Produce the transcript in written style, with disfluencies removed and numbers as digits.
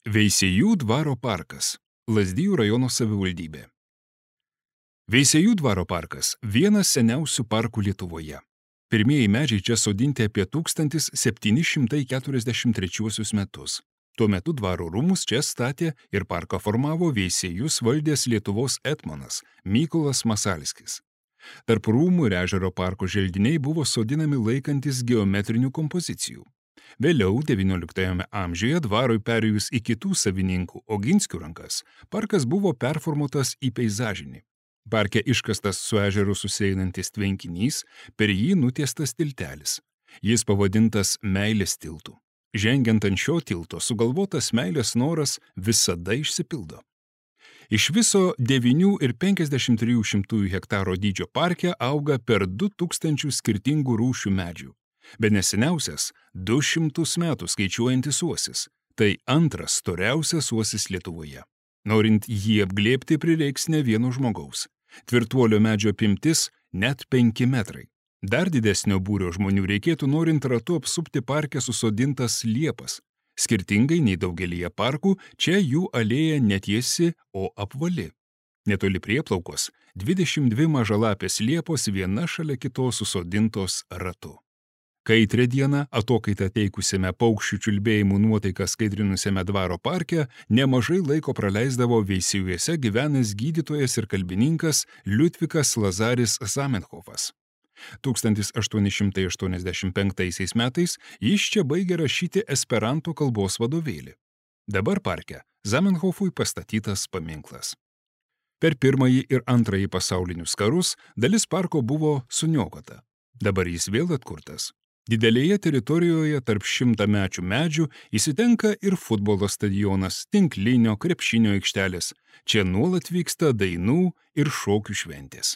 Veisiejų dvaro parkas, Lazdijų rajono savivaldybė. Veisiejų dvaro parkas – vienas seniausių parkų Lietuvoje. Pirmieji medžiai čia sodinti apie 1743 metus. Tuo metu dvaro rūmus čia statė ir parką formavo Veisiejus valdęs Lietuvos etmonas Mykolas Masalskis. Tarp rūmų ir ežero parko želdiniai buvo sodinami laikantis geometrinių kompozicijų. Vėliau, XIX amžiuje, dvarui perėjus į kitų savininkų Oginskių rankas, parkas buvo performuotas į peizažinį. Parke iškastas su ežeru susieinantis tvenkinys, per jį nutiestas tiltelis. Jis pavadintas Meilės tiltu. Žengiant ant šio tilto, sugalvotas meilės noras visada išsipildo. Iš viso 9,53 hektaro dydžio parke auga per 2000 skirtingų rūšių medžių. Bene seniausias 200 metų skaičiuojantis uosis. Tai antras storiausias uosis Lietuvoje. Norint jį apglėbti prireiks ne vieno žmogaus. Tvirtuolio medžio apimtis net 5 metrai. Dar didesnio būrio žmonių reikėtų norint ratu apsupti parke susodintas liepas. Skirtingai nei daugelyje parkų, čia jų alėja netiesi, o apvali. Netoli prieplaukos 22 mažalapės liepos viena šalia kitos susodintos ratu. Kaitrią dieną, atokaitą teikusiame paukščių čiulbėjimų nuotaiką skaidrinusiame dvaro parke, nemažai laiko praleisdavo Veisiejuose gyvenęs gydytojas ir kalbininkas Liudvikas Lazaris Zamenhofas. 1885 metais jis čia baigė rašyti esperanto kalbos vadovėlį. Dabar parke Zamenhofui pastatytas paminklas. Per pirmąjį ir antrąjį pasaulinius karus dalis parko buvo suniokota. Dabar jis vėl atkurtas. Didelėje teritorijoje tarp 100-mečių medžių įsitenka ir futbolo stadionas, tinklinio, krepšinio aikštelės. Čia nuolat vyksta dainų ir šokių šventės.